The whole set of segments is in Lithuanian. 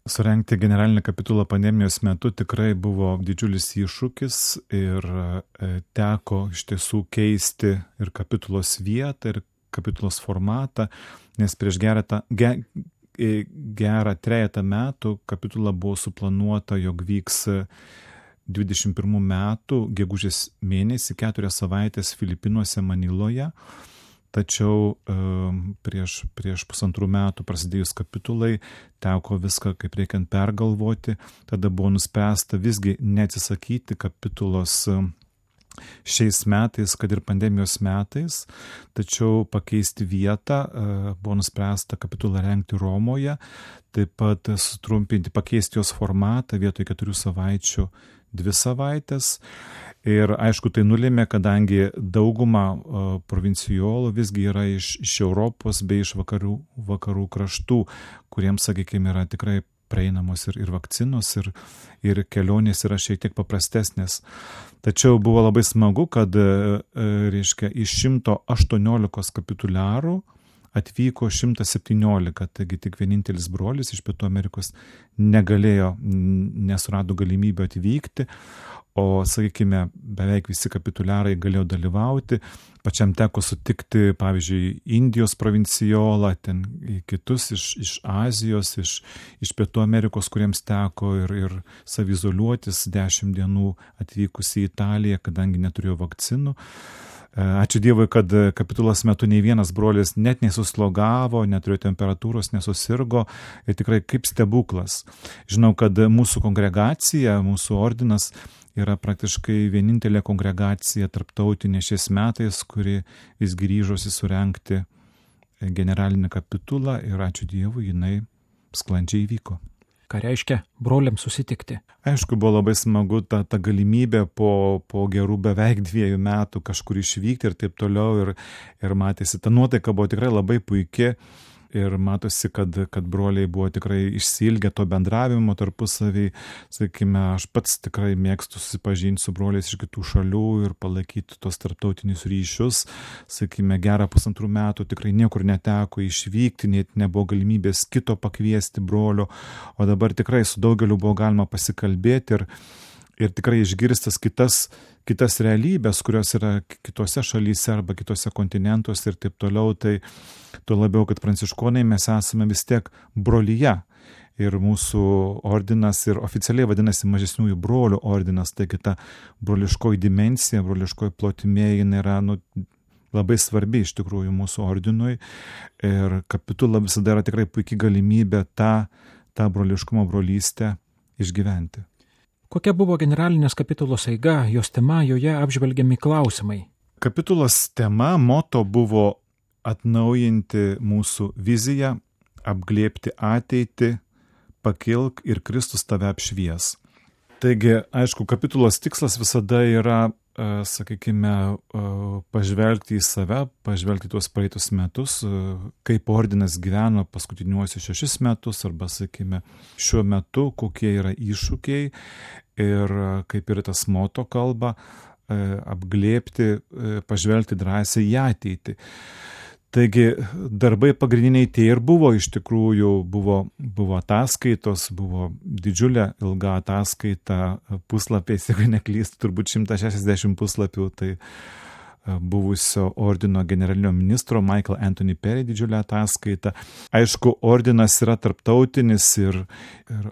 Surengti generalinį kapitulą pandemijos metu tikrai buvo didžiulis iššūkis ir teko iš tiesų keisti ir kapitulos vietą, ir kapitulos formatą, nes prieš gerą trejetą metų kapitula buvo suplanuota, jog vyks 21 metų gegužės mėnesį 4 savaitės Filipinuose, Maniloje. Tačiau prieš 1,5 metų prasidėjus kapitulai teko viską kaip reikiant pergalvoti. Tada buvo nuspręsta visgi neatsisakyti kapitulos šiais metais, kad ir pandemijos metais, tačiau pakeisti vietą. Buvo nuspręsta kapitulą rengti Romoje, taip pat sutrumpinti, pakeisti jos formatą vietoj 4 savaičių 2 savaitės. Ir aišku, tai nulėmė, kadangi dauguma provincijolų visgi yra iš Europos bei iš vakarų kraštų, kuriems, sakykime, yra tikrai prieinamos ir vakcinos, ir kelionės yra šiek tiek paprastesnės. Tačiau buvo labai smagu, kad iš 118 kapituliarų atvyko 117, taigi tik vienintelis brolis iš Pietų Amerikos nesurado galimybę atvykti, o, sakykime, beveik visi kapituliarai galėjo dalyvauti. Pačiam teko sutikti, pavyzdžiui, Indijos provincijolą, ten kitus iš Azijos, iš Pietų Amerikos, kuriems teko ir savizoliuotis 10 dienų atvykus į Italiją, kadangi neturėjo vakcinų. Ačiū Dievui, kad kapitulos metu nei vienas brolis net nesuslogavo, neturėjo temperatūros, nesusirgo, ir tikrai kaip stebuklas. Žinau, kad mūsų kongregacija, mūsų ordinas yra praktiškai vienintelė kongregacija tarptautinė šiais metais, kuri vis grįžosi surengti generalinį kapitulą, ir ačiū Dievui, jinai sklandžiai įvyko. Ką reiškia broliams susitikti? Aišku, buvo labai smagu ta galimybė po gerų beveik 2 metų kažkur išvykti ir taip toliau, ir matėsi, ta nuotaika buvo tikrai labai puiki, ir matosi, kad broliai buvo tikrai išsiilgę to bendravimo tarpusavį. Sakykime, aš pats tikrai mėgstu susipažinti su broliais iš kitų šalių ir palaikyti tos tarptautinius ryšius. Sakykime, gerą 1,5 metų tikrai niekur neteko išvykti, net nebuvo galimybės kito pakviesti brolio, o dabar tikrai su daugeliu buvo galima pasikalbėti ir tikrai išgirstas kitas realybės, kurios yra kitose šalyse arba kitose kontinentuose ir taip toliau. Tai tuo labiau, kad pranciškonai mes esame vis tiek brolyje. Ir mūsų ordinas ir oficialiai vadinasi mažesniųjų brolių ordinas. Taigi ta broliškoji dimensija, broliškoji plotmė, jinai yra labai svarbi iš tikrųjų mūsų ordinui. Ir kapitula visada yra tikrai puikiai galimybė tą broliškumo, brolystę išgyventi. Kokia buvo generalinės kapitulos eiga, jos tema, joje apžvelgiami klausimai? Kapitulos tema, moto buvo atnaujinti mūsų viziją, apglėbti ateitį, pakilk ir Kristus tave apšvies. Taigi, aišku, kapitulos tikslas visada yra, sakykime, pažvelgti į save, pažvelgti tuos praeitus metus, kaip ordinas gyveno paskutiniuosius 6 metus, arba, sakykime, šiuo metu, kokie yra iššūkiai, ir kaip ir tas moto kalba, apglėbti, pažvelgti drąsiai į ateitį. Taigi darbai pagrindiniai tie ir buvo, iš tikrųjų buvo ataskaitos, buvo didžiulė ilga ataskaita, puslapiais, jeigu neklystu, turbūt 160 puslapių, tai buvusio ordino generalinio ministro Michael Anthony Perry didžiulė ataskaita. Aišku, ordinas yra tarptautinis ir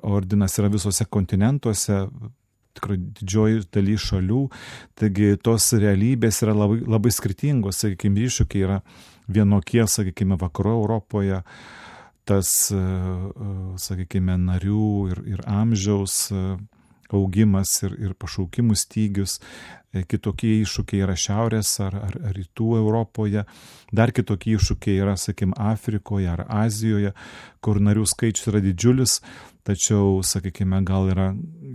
ordinas yra visose kontinentuose, tikrai didžioji dalis šalių, taigi tos realybės yra labai, labai skirtingos, sakykime, iššūkiai yra vienokie, sakykime, vakarų Europoje, tas, sakykime, narių ir amžiaus augimas ir pašaukimų stygius, kitokie iššūkiai yra šiaurės ar rytų Europoje, dar kitokie iššūkiai yra, sakykime, Afrikoje ar Azijoje, kur narių skaičius yra didžiulis, tačiau, sakykime, gal yra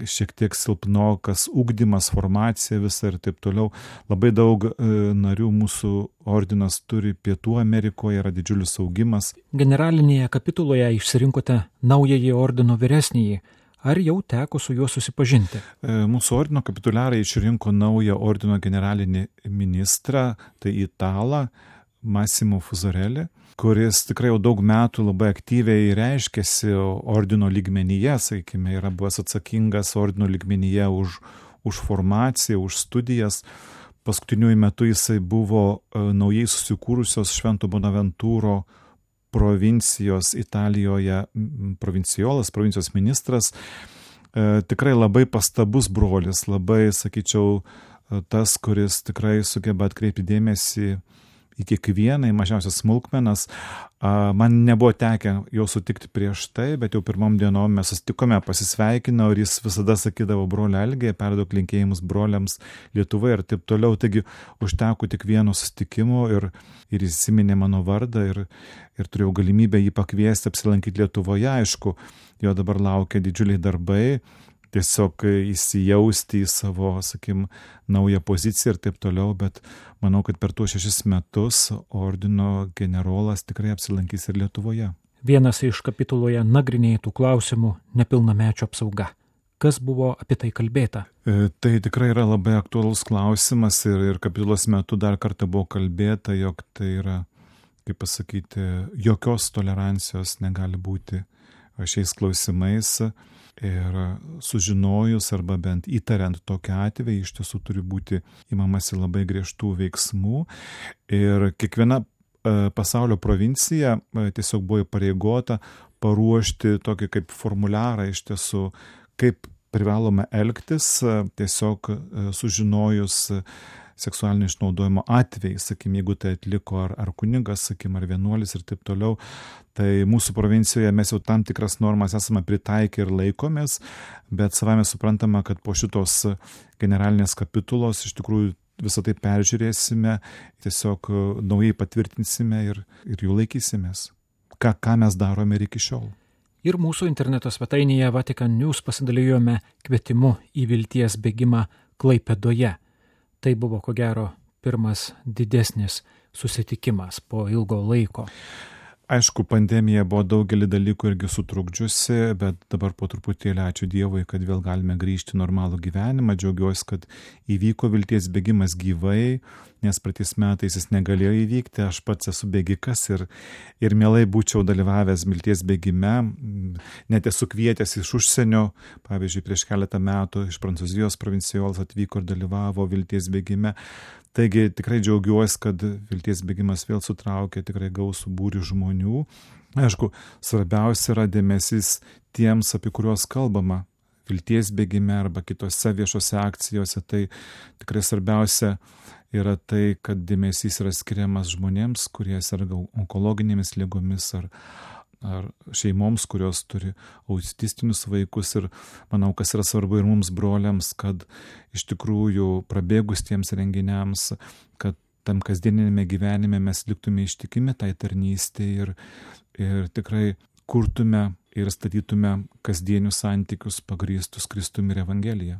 šiek tiek silpnokas ugdymas, formacija visa ir taip toliau. Labai daug narių mūsų ordinas turi Pietų Amerikoje, yra didžiulis augimas. Generalinėje kapituloje išsirinkote naująjį ordino vyresnįjį. Ar jau teko su juo susipažinti? Mūsų ordino kapituliarai išrinko naują ordino generalinį ministrą, tai italą Massimo Fuzarelli, kuris tikrai jau daug metų labai aktyviai reiškėsi ordino lygmenyje, sakykime, yra buvęs atsakingas ordino lygmenyje už formaciją, už studijas. Paskutiniu metu jisai buvo naujai susikūrusios Švento Bonaventūro provincijos Italijoje provincijos ministras. Tikrai labai pastabus brolis, labai, sakyčiau, tas, kuris tikrai sugeba atkreipti dėmesį į kiekvieną, į mažiausias smulkmenas. Man nebuvo tekę jo sutikti prieš tai, bet jau pirmom dienom mes susitikome, pasisveikinau ir jis visada sakydavo brolio Algė, perduok linkėjimus broliams Lietuvoje ir taip toliau. Taigi užteko tik vieno susitikimo ir įsiminė mano vardą ir turėjau galimybę jį pakviesti apsilankyti Lietuvoje. Aišku, jo dabar laukia didžiuliai darbai, tiesiog įsijausti į savo, naują poziciją ir taip toliau, bet manau, kad per tuos 6 metus ordino generolas tikrai apsilankys ir Lietuvoje. Vienas iš kapituloje nagrinėtų klausimų - nepilnamečio apsauga. Kas buvo apie tai kalbėta? Tai tikrai yra labai aktualus klausimas ir kapitulos metu dar kartą buvo kalbėta, jog tai yra, kaip pasakyti, jokios tolerancijos negali būti šiais klausimais. Ir sužinojus arba bent įtariant tokią atvejį, iš tiesų turi būti imamasi labai griežtų veiksmų. Ir kiekviena pasaulio provincija tiesiog buvo įpareigota paruošti tokį kaip formuliarą, iš tiesų, kaip privalome elgtis, tiesiog sužinojus seksualinio išnaudojimo atvejai, jeigu tai atliko ar kunigas, ar vienuolis ir taip toliau. Tai mūsų provincijoje mes jau tam tikras normas esame pritaikę ir laikomės, bet savame suprantama, kad po šitos generalinės kapitulos iš tikrųjų visą tai peržiūrėsime, tiesiog naujai patvirtinsime ir jų laikysimės. Ką mes darome ir iki šiol. Ir mūsų interneto svetainėje Vatican News pasidalijome kvietimu į vilties bėgimą Klaipėdoje. Tai buvo, ko gero, pirmas didesnis susitikimas po ilgo laiko. Aišku, pandemija buvo daugelį dalykų irgi sutrukdžiusi, bet dabar po truputėlį ačiū Dievui, kad vėl galime grįžti į normalų gyvenimą. Džiaugiuosi, kad įvyko vilties bėgimas gyvai, nes praeitais metais jis negalėjo įvykti. Aš pats esu bėgikas ir mielai būčiau dalyvavęs vilties bėgime. Net esu kvietęs iš užsienio, pavyzdžiui, prieš keletą metų iš Prancūzijos provincijolas atvyko ir dalyvavo vilties bėgime. Taigi tikrai džiaugiuosi, kad vilties bėgimas vėl sutraukė tikrai gausų būrį žmonių. Aišku, svarbiausia yra dėmesys tiems, apie kuriuos kalbama vilties bėgime arba kitose viešose akcijose. Tai tikrai svarbiausia yra tai, kad dėmesys yra skiriamas žmonėms, kurie serga onkologinėmis ligomis ar šeimoms, kurios turi autistinius vaikus. Ir manau, kas yra svarbu ir mums broliams, kad iš tikrųjų prabėgus tiems renginiams, kad tam kasdieninėme gyvenime mes liktume ištikimi tai tarnystei ir tikrai kurtume ir statytume kasdienius santykius pagrįstus Kristumi ir Evangelija.